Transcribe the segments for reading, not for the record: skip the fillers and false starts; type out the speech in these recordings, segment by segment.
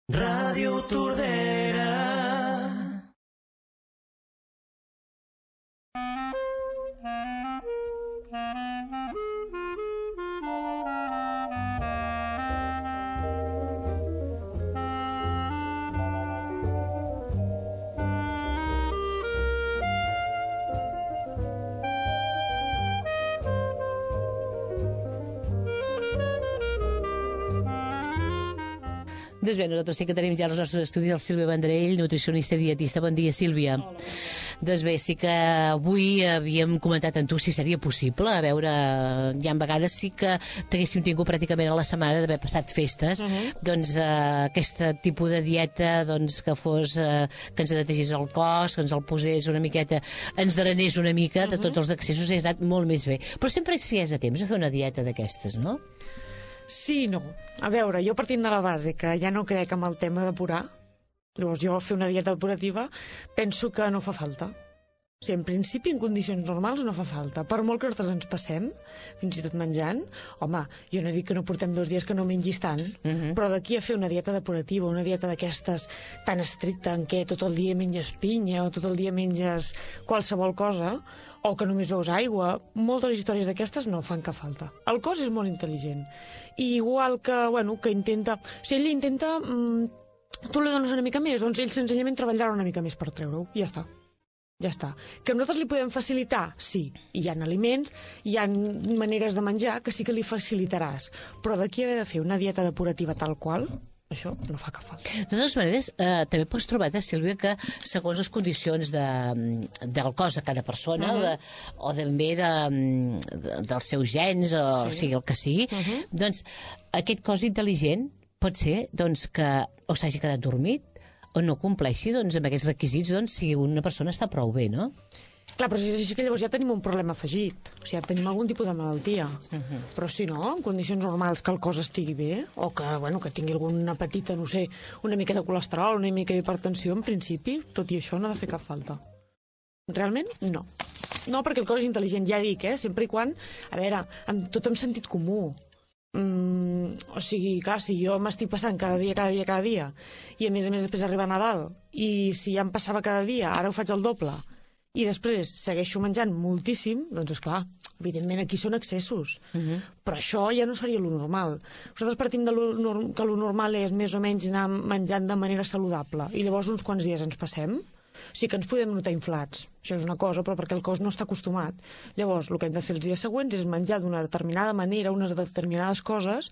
Ràdio Tordera. Doncs bé, nosaltres sí que tenim ja els nostres estudis el Sílvia Vendrell, nutricionista i dietista. Bon dia, Sílvia. Hola. Doncs bé, sí que avui havíem comentat amb tu si seria possible. A veure, ja en vegades sí que t'haguéssim tingut pràcticament a la setmana d'haver passat festes, doncs aquest tipus de dieta doncs, que fos, que ens netegés el cos, que ens el posés una miqueta, ens drenés una mica de tots els excessos, ha estat molt més bé. Però sempre si és a temps a fer una dieta d'aquestes, no? Sí i no. A veure, jo partint de la base que ja no crec en el tema d'apurar, llavors jo fer una dieta depurativa penso que no fa falta. O sigui, en principi, en condicions normals no fa falta. Per molt que nosaltres ens passem, fins i tot menjant, home, jo no dic que no portem 2 dies que no mengis tant, però d'aquí a fer una dieta depurativa, una dieta d'aquestes tan estricta en què tot el dia menges pinya o tot el dia menges qualsevol cosa, o que només beus aigua, moltes històries d'aquestes no fan cap falta. El cos és molt intel·ligent. I igual que, bueno, que intenta... O sigui, ell intenta... tu li dones una mica més, doncs ell senzillament treballarà una mica més per treure-ho. I ja està. Ja està. Que nosaltres li podem facilitar? Sí. I hi ha aliments, hi ha maneres de menjar que sí que li facilitaràs. Però d'aquí haver de fer una dieta depurativa tal qual, això no fa cap falta. De totes maneres, també pots trobar, Sílvia, que segons les condicions del cos de cada persona o també dels seus gens o sigui el que sigui, doncs aquest cos intel·ligent pot ser doncs, que o s'hagi quedat dormit o no compleixi doncs, amb aquests requisits doncs, si una persona està prou bé, no? Clar, però si és així que llavors ja tenim un problema afegit. O sigui, ja tenim algun tipus de malaltia. Però si no, en condicions normals que el cos estigui bé, o que, bueno, que tingui alguna petita, no sé, una mica de colesterol, una mica d'hipertensió, en principi, tot i això no ha de fer cap falta. Realment, no. No, perquè el cos és intel·ligent, ja dic, sempre i quan, a veure, tot amb sentit comú. O sigui, clar, si jo m'estic passant cada dia, i a més després arriba Nadal, i si ja em passava cada dia, ara ho faig el doble, i després segueixo menjant moltíssim, doncs esclar, evidentment aquí són excessos. Però això ja no seria lo normal. Nosaltres partim de que lo normal és més o menys anar menjant de manera saludable, i llavors uns quants dies ens passem, sí que ens podem notar inflats. Això és una cosa, però perquè el cos no està acostumat. Llavors, el que hem de fer els dies següents és menjar d'una determinada manera unes determinades coses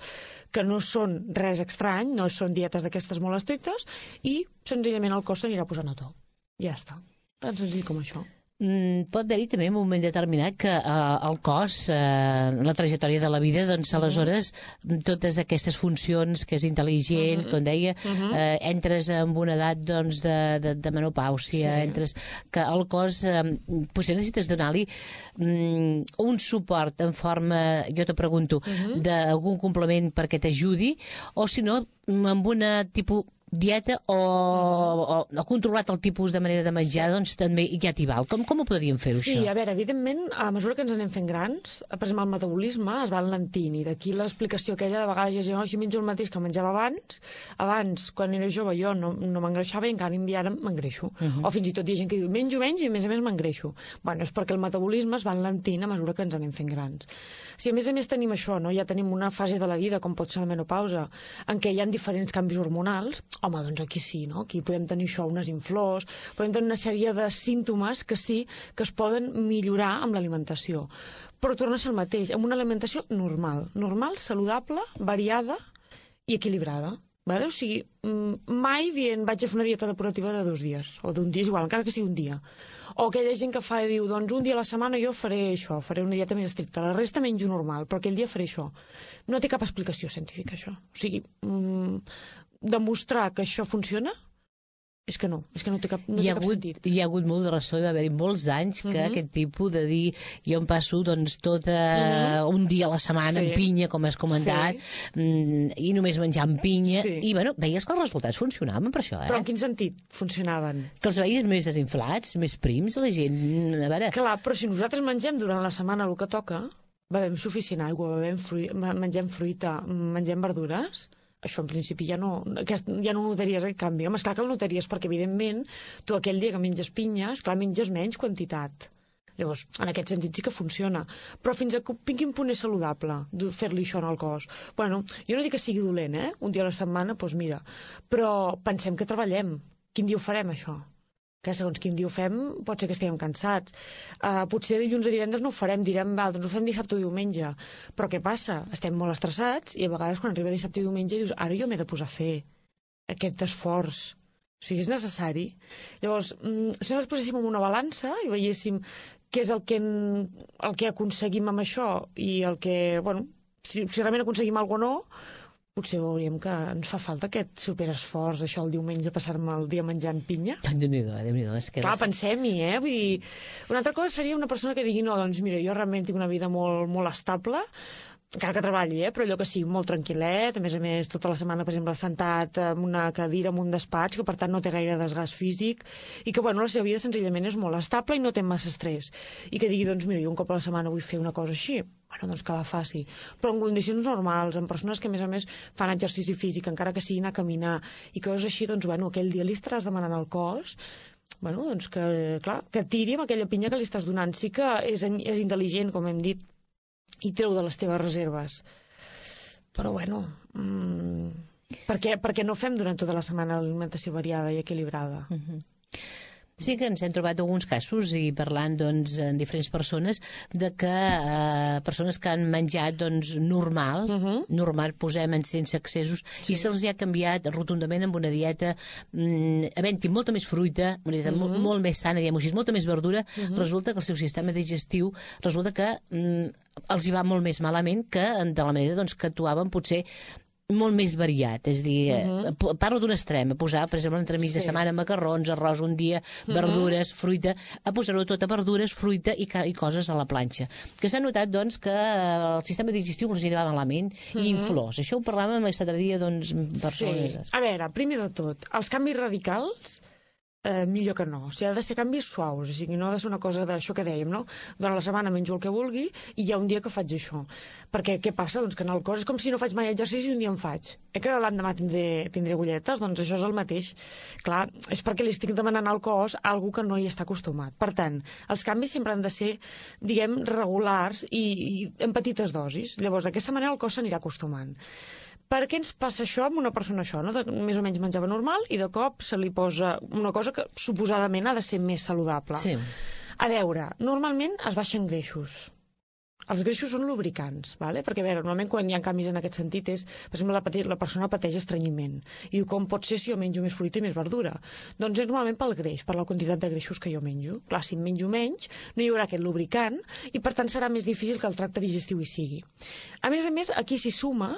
que no són res estrany, no són dietes d'aquestes molt estrictes, i senzillament el cos s'anirà posant a to. Ja està. Tan senzill com això. Pot haver-hi també un moment determinat que el cos, la trajectòria de la vida, doncs aleshores totes aquestes funcions que és intel·ligent, com deia, entres en una edat doncs, de menopàusia, entres que el cos potser necessites donar-li un suport en forma, jo te pregunto, d'algun complement perquè t'ajudi, o si no, amb una tipus dieta o controlat el tipus de manera de menjar, doncs també ja t'hi val. Com ho podríem fer-ho, això? Sí, a veure, evidentment, a mesura que ens anem fent grans, per exemple, el metabolisme es va enlentint, i d'aquí l'explicació aquella de vegades jo menjo el mateix que menjava abans. Abans, quan era jove, jo no m'engreixava i encara ara m'engreixo. O fins i tot hi ha gent que diu, menjo menys i a més m'engreixo. Bueno, és perquè el metabolisme es va enlentint a mesura que ens anem fent grans. Si a més tenim això, no? Ja tenim una fase de la vida, com pot ser la menopausa, en què hi ha diferents canvis hormonals, home, doncs aquí sí, no? Aquí podem tenir això, unes inflors, podem tenir una sèrie de símptomes que sí que es poden millorar amb l'alimentació. Però torna a ser el mateix, amb una alimentació normal, saludable, variada i equilibrada. Vale? O sigui, mai dient vaig a fer una dieta depurativa de 2 dies, o d'un dia, és igual, encara que sigui un dia. O aquella gent que fa i diu, doncs un dia a la setmana jo faré això, faré una dieta més estricta, la resta menjo normal, però aquell dia faré això. No té cap explicació científica, això. O sigui, demostrar que això funciona és que no té cap sentit. Hi ha hagut molt de ressò, va haver-hi molts anys que aquest tipus de dir jo em passo doncs tot un dia a la setmana amb pinya, com has comentat, i només menjant pinya, i bueno, veies que els resultats funcionaven per això, Però en quin sentit funcionaven? Que els veies més desinflats, més prims, la gent, a veure... Clar, però si nosaltres mengem durant la setmana el que toca, bevem suficient aigua, mengem fruita, mengem verdures, això en principi ja no notaries aquest canvi. Home, esclar que el notaries perquè, evidentment, tu aquell dia que menges pinya, esclar, menges menys quantitat. Llavors, en aquest sentit sí que funciona. Però fins a quin punt és saludable fer-li això en el cos? Bueno, jo no dic que sigui dolent, un dia a la setmana, doncs mira. Però pensem que treballem. Quin dia ho farem, això? Que segons quin dia ho fem, pot ser que estiguem cansats. Potser dilluns o divendres no ho farem, direm, doncs ho fem dissabte o diumenge. Però què passa? Estem molt estressats i a vegades quan arriba dissabte i diumenge dius, ara jo m'he de posar a fer aquest esforç. O sigui, és necessari. Llavors, si nosaltres poséssim en una balança i veiéssim què és el que aconseguim amb això i el que, bueno, si realment aconseguim alguna cosa o no, potser veuríem que ens fa falta aquest superesforç, això el diumenge, passar-me el dia menjant pinya. Déu-n'hi-do, és que... Clar, pensem-hi, Vull dir, una altra cosa seria una persona que digui, no, doncs mira, jo realment tinc una vida molt, molt estable, encara que treballi, però allò que sigui molt tranquil·let, a més, tota la setmana, per exemple, sentat en una cadira, en un despatx, que per tant no té gaire desgast físic, i que, bueno, la seva vida senzillament és molt estable i no té massa estrès. I que digui, doncs mira, jo un cop a la setmana vull fer una cosa així, bueno, doncs que la faci. Però en condicions normals, en persones que, a més, fan exercici físic, encara que siguin a caminar, i coses així, doncs, bueno, aquell dia li estaràs demanant al cos, bueno, doncs que, clar, que tiri amb aquella pinya que li estàs donant. Sí que és intel·ligent, com hem dit, i treu de les teves reserves. Però, bueno, per què no fem durant tota la setmana l'alimentació variada i equilibrada? Sí que ens hem trobat alguns casos, i parlant doncs, amb diferents persones, de que persones que han menjat doncs, normal, posem sense excessos, i se'ls ha canviat rotundament amb una dieta havent-hi molta més fruita, una dieta molt més sana, diguem-ho així, molta més verdura, resulta que el seu sistema digestiu resulta que els hi va molt més malament que de la manera doncs, que actuaven potser molt més variat, és a dir, parlo d'un extrem, a posar, per exemple, entremig de setmana macarrons, arròs un dia, verdures, fruita, a posar-ho tot a verdures, fruita i coses a la planxa. Que s'ha notat, doncs, que el sistema digestiu els anirà malament i inflors. Això ho parlàvem aquest altre dia, doncs, persones... Sí. A veure, primer de tot, els canvis radicals millor que no. O sigui, ha de ser canvis suaus, o sigui, no ha de ser una cosa d'això que dèiem, no? Durant la setmana menjo el que vulgui i hi ha un dia que faig això. Perquè què passa? Doncs que en el cos és com si no faig mai exercici i un dia en faig. Que l'endemà tindré agulletes? Doncs això és el mateix. Clar, és perquè li estic demanant al cos algo que no hi està acostumat. Per tant, els canvis sempre han de ser, diguem, regulars i en petites dosis. Llavors, d'aquesta manera el cos s'anirà acostumant. Per què ens passa això amb una persona això, no? Més o menys menjava normal i de cop se li posa una cosa que suposadament ha de ser més saludable. Sí. A veure, normalment es baixen greixos. Els greixos són lubricants, ¿vale? Perquè, a veure, normalment quan hi ha canvis en aquest sentit és, per exemple, la persona pateix estrenyiment. I diu, com pot ser si jo menjo més fruita i més verdura? Doncs és normalment pel greix, per la quantitat de greixos que jo menjo. Clar, si en menjo menys, no hi haurà aquest lubricant i, per tant, serà més difícil que el tracte digestiu hi sigui. A més, aquí s'hi suma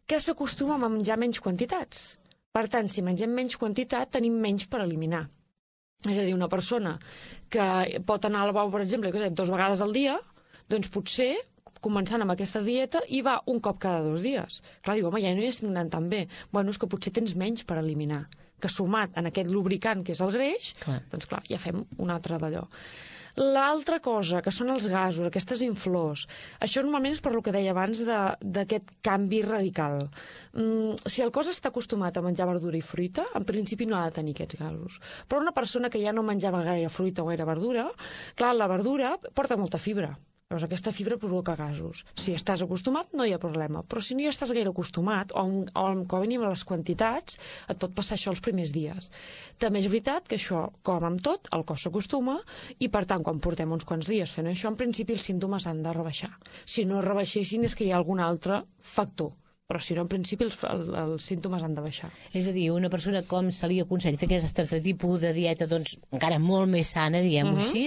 que s'acostuma a menjar menys quantitats. Per tant, si mengem menys quantitat, tenim menys per eliminar. És a dir, una persona que pot anar al lavabo, per exemple, 2 vegades al dia, doncs potser, començant amb aquesta dieta, hi va un cop cada 2 dies. Clar, diu, home, ja no hi estic anant tan bé. Bueno, és que potser tens menys per eliminar. Que sumat en aquest lubricant, que és el greix, doncs clar, ja fem un altre d'allò. L'altra cosa, que són els gasos, aquestes inflors, això normalment és per lo que deia abans d'aquest canvi radical. Si el cos està acostumat a menjar verdura i fruita, en principi no ha de tenir aquests gasos. Però una persona que ja no menjava gaire fruita o gaire verdura, clar, la verdura porta molta fibra. Llavors aquesta fibra provoca gasos. Si estàs acostumat no hi ha problema, però si no hi estàs gaire acostumat o com a mínim a les quantitats, et pot passar això els primers dies. També és veritat que això, com amb tot, el cos s'acostuma i per tant quan portem uns quants dies fent això, en principi els símptomes han de rebaixar. Si no rebaixessin és que hi ha algun altre factor. Però si no, en principi els símptomes han de baixar. És a dir, una persona com se li aconsella fer aquest altre tipus de dieta, doncs, encara molt més sana, diguem-ho així,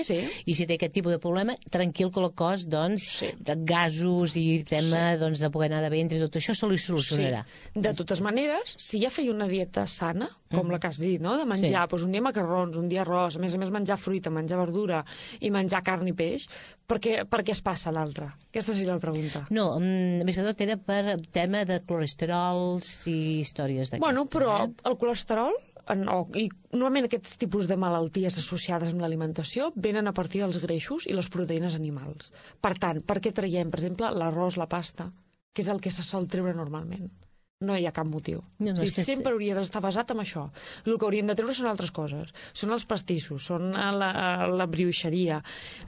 i si té aquest tipus de problema, tranquil que el cos, doncs, de gasos i tema doncs, de poder anar de ventre i tot això se li solucionarà. De totes maneres, si ja feia una dieta sana, com la que has dit, no? De menjar doncs, un dia macarrons, un dia arròs, a més menjar fruita, menjar verdura i menjar carn i peix, per què es passa l'altre? Aquesta seria la pregunta. No, més que tot era per tema de colesterols i històries d'aquestes. Bueno, però el colesterol i normalment aquests tipus de malalties associades amb l'alimentació venen a partir dels greixos i les proteïnes animals. Per tant, per què traiem, per exemple, l'arròs, la pasta, que és el que se sol treure normalment? no hi ha cap motiu. No, O sigui, sempre hauria d'estar basat en això. El que hauríem de treure són altres coses. Són els pastissos, són la brioixeria,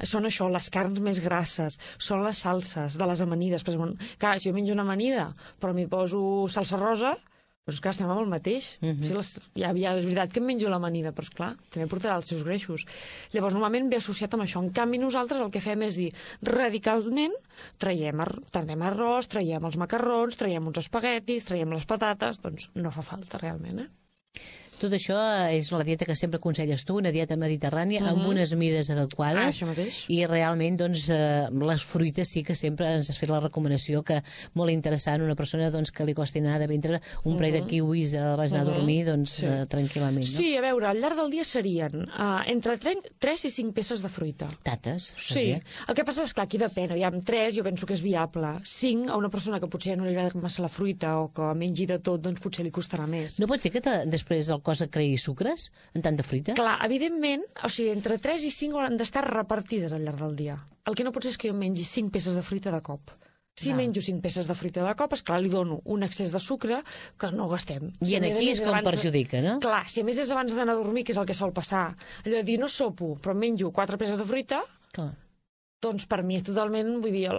són això, les carns més grasses, són les salses de les amanides. Per exemple, clar, si jo menjo una amanida, però m'hi poso salsa rosa, doncs clar, estem amb el mateix. Ja és veritat que em menjo l'amanida, però esclar, també portarà els seus greixos. Llavors, normalment ve associat amb això. En canvi, nosaltres el que fem és dir, radicalment, traiem arròs, traiem els macarrons, traiem uns espaguetis, traiem les patates, doncs no fa falta realment, Tot això és la dieta que sempre aconselles tu, una dieta mediterrània amb unes mides adequades. Això mateix. I realment, doncs, les fruites sí que sempre ens has fet la recomanació que molt interessant una persona doncs, que li costi anar de vendre un parell de kiwis abans d'anar a dormir doncs, tranquil·lament. No? Sí, a veure, al llarg del dia serien entre 3 i 5 peces de fruita. Tates. Sí, el que passa és que aquí depèn, aviam, 3 jo penso que és viable. 5 a una persona que potser no li agrada massa la fruita o que mengi de tot, doncs potser li costarà més. No pot ser que després del cos et creï sucres en tanta fruita? Clar, evidentment, o sigui, entre 3 i 5 hauran d'estar repartides al llarg del dia. El que no pot ser és que jo mengi 5 peces de fruita de cop. Si menjo 5 peces de fruita de cop, esclar, li dono un excés de sucre que no gastem. I aquí és com perjudica, no? Clar, si a més és abans d'anar a dormir, que és el que sol passar, allò de dir no sopo, però menjo 4 peces de fruita, Clar. doncs per mi és totalment, vull dir,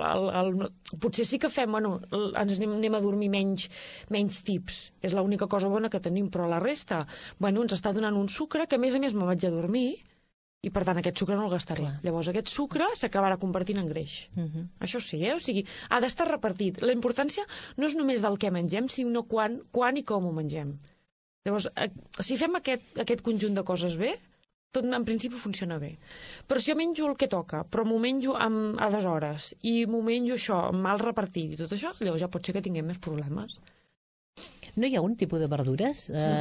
potser sí que fem, bueno, ens anem a dormir menys tips, és l'única cosa bona que tenim, però la resta, bueno, ens està donant un sucre que a més me'n vaig a dormir i per tant aquest sucre no el gastaré. Clar. Llavors aquest sucre s'acabarà convertint en greix. Això sí, o sigui, ha d'estar repartit. La importància no és només del que mengem, sinó quan i com ho mengem. Llavors, si fem aquest conjunt de coses bé, tot en principi funciona bé. Però si jo menjo el que toca, però m'ho menjo a deshores, i m'ho menjo això, mal repartit i tot això, llavors ja pot ser que tinguem més problemes. No hi ha un tipus de verdures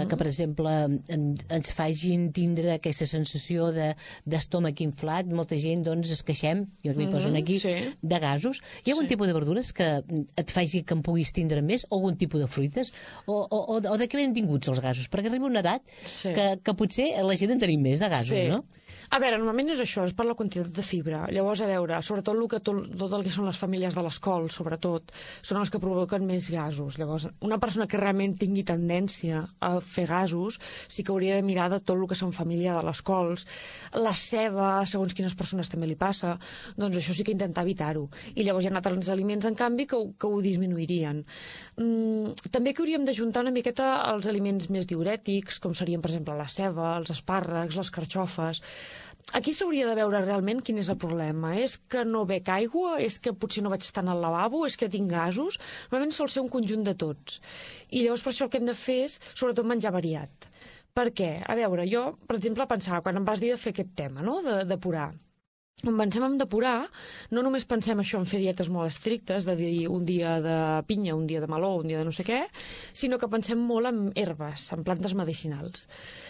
que, per exemple, ens facin tindre aquesta sensació d'estómac inflat? Molta gent, doncs, es queixem, jo que m'hi poso aquí, de gasos. Hi ha algun tipus de verdures que et faci que en puguis tindre més? O algun tipus de fruites? O de què venen vinguts els gasos? Perquè arriba una edat que potser la gent en tenim més de gasos, no? A veure, normalment és això, és per la quantitat de fibra. Llavors, a veure, sobretot tot el que són les famílies de les cols, sobretot, són els que provoquen més gasos. Llavors, una persona que realment tingui tendència a fer gasos, sí que hauria de mirar de tot el que són família de les cols. La ceba, segons quines persones també li passa, doncs això sí que intentar evitar-ho. I llavors hi ha altres aliments, en canvi, que ho disminuirien. També que hauríem d'ajuntar una miqueta els aliments més diurètics, com serien, per exemple, la ceba, els espàrrecs, les carxofes. Aquí s'hauria de veure realment quin és el problema. És que no bec aigua? És que potser no vaig estar al lavabo? És que tinc gasos? Normalment sol ser un conjunt de tots. I llavors per això el que hem de fer és, sobretot, menjar variat. Per què? A veure, jo, per exemple, pensava, quan em vas dir de fer aquest tema, no?, de depurar. Quan pensem en depurar, no només pensem això en fer dietes molt estrictes, de dir un dia de pinya, un dia de meló, un dia de no sé què, sinó que pensem molt en herbes, en plantes medicinals.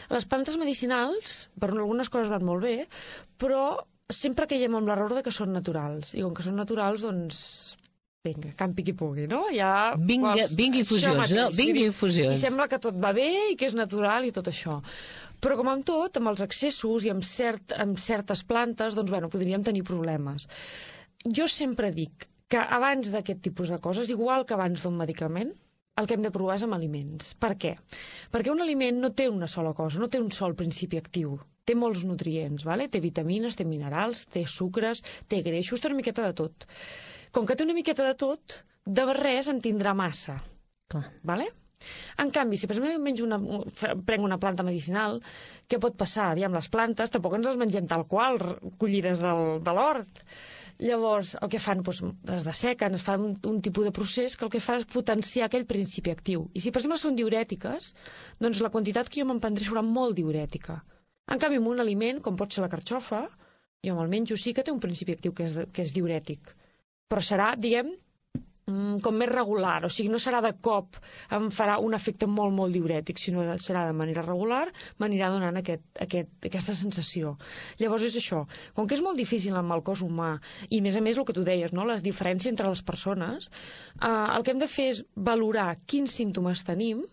Les plantes medicinals, per algunes coses van molt bé, però sempre caiem amb l'error de que són naturals. I com que són naturals, doncs vinga, campi qui pugui, no? Ja, vinga infusions, no? Vinga infusions. I sembla que tot va bé i que és natural i tot això. Però com amb tot, amb els excessos i amb certes plantes, doncs, bueno, podríem tenir problemes. Jo sempre dic que abans d'aquest tipus de coses, igual que abans d'un medicament, el que hem de provar és amb aliments. Per què? Perquè un aliment no té una sola cosa, no té un sol principi actiu. Té molts nutrients, ¿vale? Té vitamines, té minerals, té sucres, té greixos, té una miqueta de tot. Com que té una miqueta de tot, de res en tindrà massa. Clar. ¿Vale? En canvi, si per exemple prenc una planta medicinal, què pot passar? Aviam, les plantes tampoc ens les mengem tal qual, collides de l'hort. Llavors, el que fan, doncs, es dessequen, es fa un tipus de procés que el que fa és potenciar aquell principi actiu. I si, per exemple, són diurètiques, doncs la quantitat que jo me'n prendré serà molt diurètica. En canvi, amb un aliment, com pot ser la carxofa, jo me'l menjo, sí que té un principi actiu que és diurètic. Però serà, diguem, com més regular, o sigui, no serà de cop, em farà un efecte molt, molt diurètic, sinó serà de manera regular, m'anirà donant aquesta sensació. Llavors és això, com que és molt difícil amb el cos humà, i a més el que tu deies, no?, la diferència entre les persones, el que hem de fer és valorar quins símptomes tenim,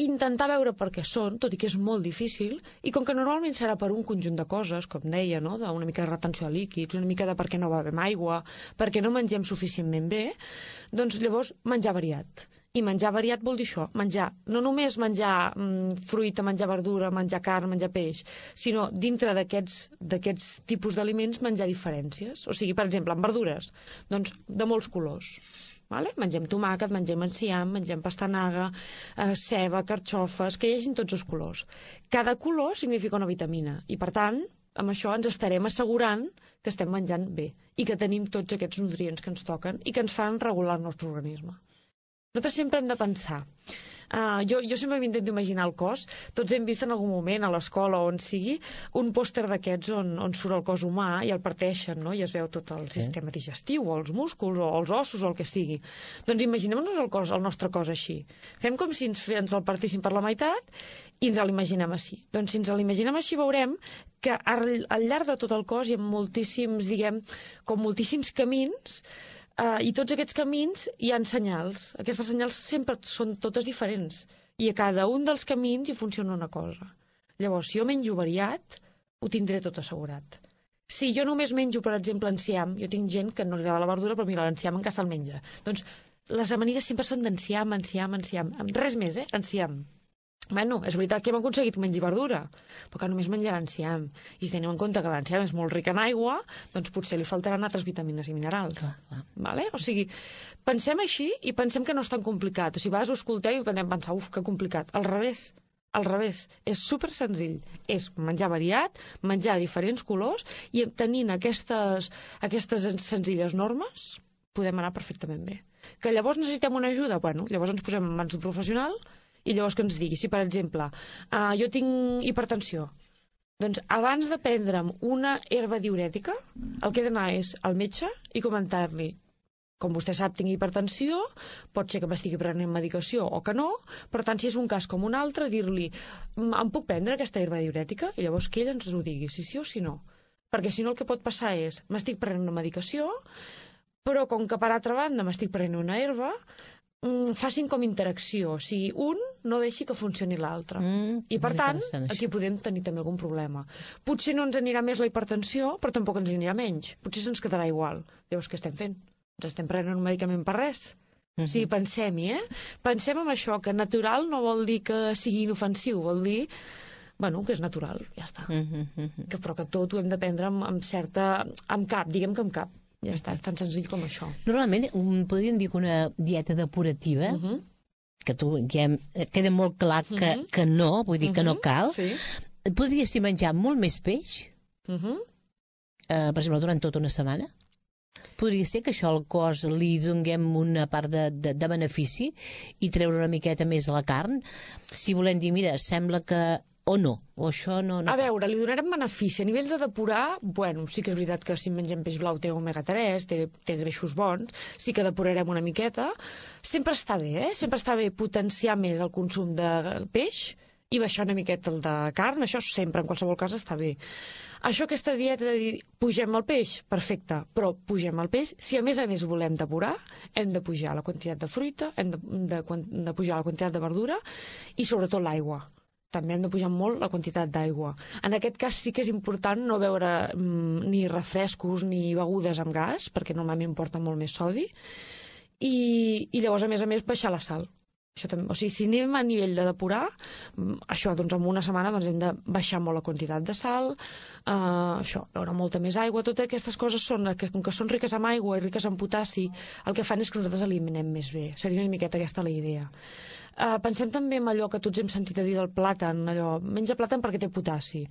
intentar veure per què són, tot i que és molt difícil, i com que normalment serà per un conjunt de coses, com deia, no? D'una mica de retenció de líquids, una mica de per què no bevem aigua, per què no mengem suficientment bé, doncs llavors menjar variat. I menjar variat vol dir això, menjar, no només menjar fruita, menjar verdura, menjar carn, menjar peix, sinó dintre d'aquests tipus d'aliments menjar diferències. O sigui, per exemple, en verdures, doncs de molts colors. Vale? Mengem tomàquet, mengem enciam, mengem pastanaga, ceba, carxofes, que hi hagin tots els colors. Cada color significa una vitamina i, per tant, amb això ens estarem assegurant que estem menjant bé i que tenim tots aquests nutrients que ens toquen i que ens fan regular el nostre organisme. Nosaltres sempre hem de pensar. Jo sempre m'intento imaginar el cos. Tots hem vist en algun moment, a l'escola o on sigui, un pòster d'aquests on surt el cos humà i el parteixen, no? I es veu tot el sistema digestiu, o els músculs, o els ossos, o el que sigui. Doncs imaginem-nos el nostre cos així. Fem com si ens el partíssim per la meitat i ens l'imaginem així. Doncs si ens l'imaginem així veurem que al llarg de tot el cos hi ha moltíssims, moltíssims camins. I tots aquests camins hi ha senyals. Aquestes senyals sempre són totes diferents. I a cada un dels camins hi funciona una cosa. Llavors, si jo menjo variat, ho tindré tot assegurat. Si jo només menjo, per exemple, enciam, jo tinc gent que no li agrada la verdura, però mira, l'enciam en casa el menja. Doncs les amanides sempre són d'enciam, enciam. Res més, enciam. Bueno, és veritat que hem aconseguit menjar verdura, però que només menjarà enciam. I si tenim en compte que l'enciam és molt ric en aigua, doncs potser li faltaran altres vitamines i minerals. Clar. Vale? O sigui, pensem així i pensem que no és tan complicat. O sigui, a vegades ho escoltem i podem pensar, que complicat. Al revés, és super senzill. És menjar variat, menjar diferents colors i tenint aquestes senzilles normes podem anar perfectament bé. Que llavors necessitem una ajuda? Bueno, llavors ens posem en mans d'un professional i llavors que ens digui, si per exemple jo tinc hipertensió, doncs abans de prendre'm una herba diurètica, el que he d'anar és al metge i comentar-li, com vostè sap, tinc hipertensió, pot ser que m'estigui prenent medicació o que no, per tant, si és un cas com un altre, dir-li, em puc prendre aquesta herba diurètica? I llavors que ell ens ho digui, si sí o si no. Perquè si no el que pot passar és, m'estic prenent una medicació, però com que per altra banda m'estic prenent una herba, facin com interacció, o sigui, un no deixi que funcioni l'altre. I per tant, aquí podem tenir també algun problema. Potser no ens anirà més la hipertensió, però tampoc ens anirà menys. Potser se'ns quedarà igual. Llavors, què estem fent? Ens estem prenent un medicament per res? O sigui, pensem-hi, Pensem en això, que natural no vol dir que sigui inofensiu, vol dir que és natural, ja està. Però que tot ho hem de prendre amb cap, diguem que amb cap. Ja està, és tan senzill com això. Normalment, podríem dir que una dieta depurativa, que tu ja queda molt clar que no, vull dir que no cal, podria ser menjar molt més peix, per exemple, durant tota una setmana? Podria ser que això al cos li donguem una part de benefici i treure una miqueta més a la carn? Si volem dir, mira, sembla que o no, o això no... A veure, li donarem benefici. A nivell de depurar, sí que és veritat que si mengem peix blau té omega-3, té greixos bons, sí que depurarem una miqueta. Sempre està bé, Sempre està bé potenciar més el consum de peix i baixar una miqueta el de carn, això sempre, en qualsevol cas, està bé. Aquesta dieta de dir, pugem el peix, perfecte, però pugem el peix. Si a més volem depurar, hem de pujar la quantitat de fruita, hem de pujar la quantitat de verdura i sobretot l'aigua. També hem de pujar molt la quantitat d'aigua. En aquest cas sí que és important no beure ni refrescos ni begudes amb gas, perquè normalment porten molt més sodi, i llavors, a més, baixar la sal. Això també, o sigui, si anem a nivell de depurar, això, doncs, en una setmana hem de baixar molt la quantitat de sal, beure molta més aigua, totes aquestes coses com que són riques en aigua i riques en potassi, el que fan és que nosaltres eliminem més bé. Seria una miqueta aquesta la idea. Pensem també en allò que tots hem sentit a dir del plàtan, menja plàtan perquè té potassi.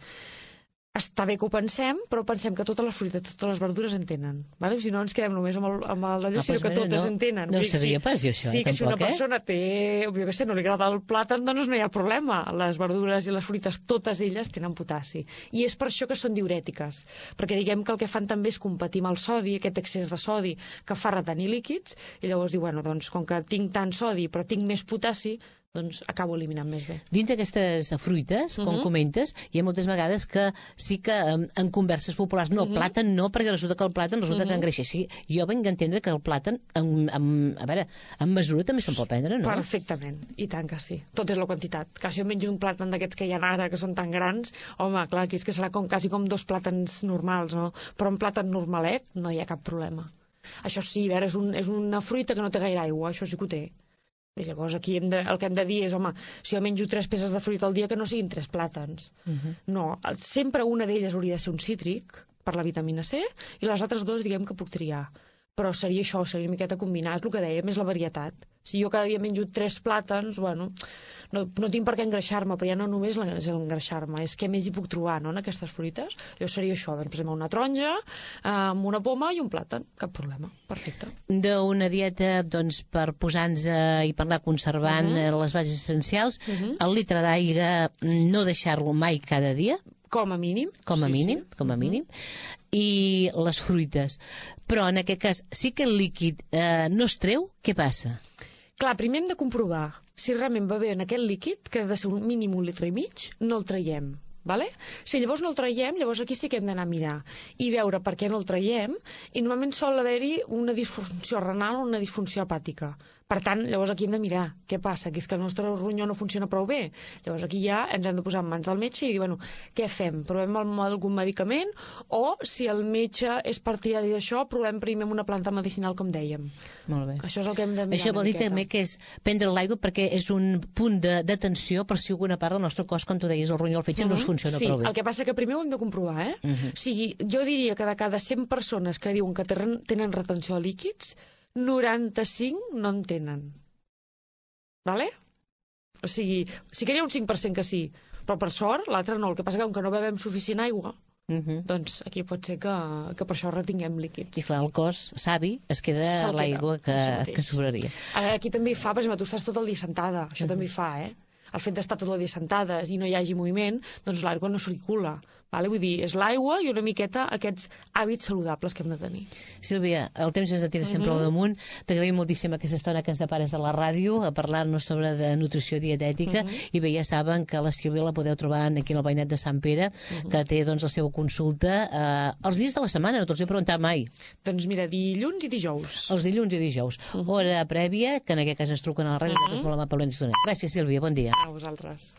Està bé que ho pensem, però pensem que totes les fruites, totes les verdures en tenen. Vale? Si no ens quedem només amb d'allò, sinó que totes en tenen. No ho sabia pas, jo, això, sí, que tampoc, si una persona té, no li agrada el plàtan, doncs no hi ha problema. Les verdures i les fruites, totes elles tenen potassi. I és per això que són diurètiques. Perquè diguem que el que fan també és competir amb el sodi, aquest excés de sodi que fa retenir líquids, i llavors diu, doncs, com que tinc tant sodi però tinc més potassi, doncs acabo eliminant més bé. Dins d'aquestes fruites, com comentes, hi ha moltes vegades que sí que en converses populars, no, el plàtan no, perquè resulta que el plàtan que engreixa. Sí, jo vinc a entendre que el plàtan, a veure, en mesura també se'n pot prendre, no? Perfectament, i tant que sí. Tot és la quantitat. Que si jo menjo un plàtan d'aquests que hi ha ara, que són tan grans, home, clar, aquí és que serà quasi com 2 plàtans normals, no? Però un plàtan normalet no hi ha cap problema. Això sí, a veure, és una fruita que no té gaire aigua, això sí que ho té. I llavors aquí el que hem de dir és, home, si jo menjo 3 peces de fruita al dia, que no siguin 3 plàtans. No, sempre una d'elles hauria de ser un cítric, per la vitamina C, i les altres 2 diguem que puc triar. Però seria això, seria una miqueta combinar, és el que dèiem, és la varietat. Si jo cada dia menjo 3 plàtans, bueno, no tinc per què engreixar-me, però ja no només és engreixar-me, és què més hi puc trobar, no?, en aquestes fruites. Llavors seria això, doncs, per exemple, una taronja, amb una poma i un plàtan, cap problema, perfecte. D'una dieta, doncs, per posar-nos i per anar conservant les bases essencials, el litre d'aigua no deixar-lo mai cada dia, com a mínim. Com a mínim. I les fruites. Però en aquest cas, sí que el líquid no es treu, què passa? Clar, primer hem de comprovar si realment va bé en aquest líquid, que ha de ser un mínim 1,5 litres, no el traiem. Vale? Si llavors no el traiem, llavors aquí sí que hem d'anar a mirar i veure per què no el traiem, i normalment sol haver-hi una disfunció renal o una disfunció hepàtica. Per tant, llavors aquí hem de mirar què passa, que és que el nostre ronyó no funciona prou bé. Llavors aquí ja ens hem de posar en mans del metge i dir, bueno, què fem? Provem algun medicament, o si el metge és partidari d'això, provem primer amb una planta medicinal, com dèiem. Molt bé. Això és el que hem de mirar. Això vol dir també que és prendre l'aigua perquè és un punt d'atenció per si alguna part del nostre cos, com tu deies, el ronyó o el fetge no es funciona prou bé. Sí, el que passa que primer ho hem de comprovar, O sigui, jo diria que de cada 100 persones que diuen que tenen retenció de líquids, 95 no en tenen. Vale? O sigui, sí que hi ha un 5% que sí, però per sort l'altre no. El que passa que com que no bevem suficient aigua, doncs aquí pot ser que per això retinguem líquids. I clar, el cos savi es queda l'aigua que sobraria. Aquí també hi fa, per exemple, tu estàs tot el dia sentada, això també hi fa, El fet d'estar tot el dia sentada i no hi hagi moviment, doncs l'aigua no circula. Vale? Vull dir, és l'aigua i una miqueta aquests hàbits saludables que hem de tenir. Sílvia, el temps ens tira sempre al damunt. T'agraïm moltíssim aquesta estona que ens depares a la ràdio a parlar-nos sobre de nutrició dietètica i bé, ja saben que la Sílvia la podeu trobar aquí al veïnat de Sant Pere, que té doncs la seva consulta els dies de la setmana, no te'ls he preguntat mai. Doncs mira, dilluns i dijous. Els dilluns i dijous. Hora prèvia, que en aquest cas ens truquen a la ràdio, nosaltres molt amablement ens donem. Gràcies, Sílvia, bon dia. A vosaltres.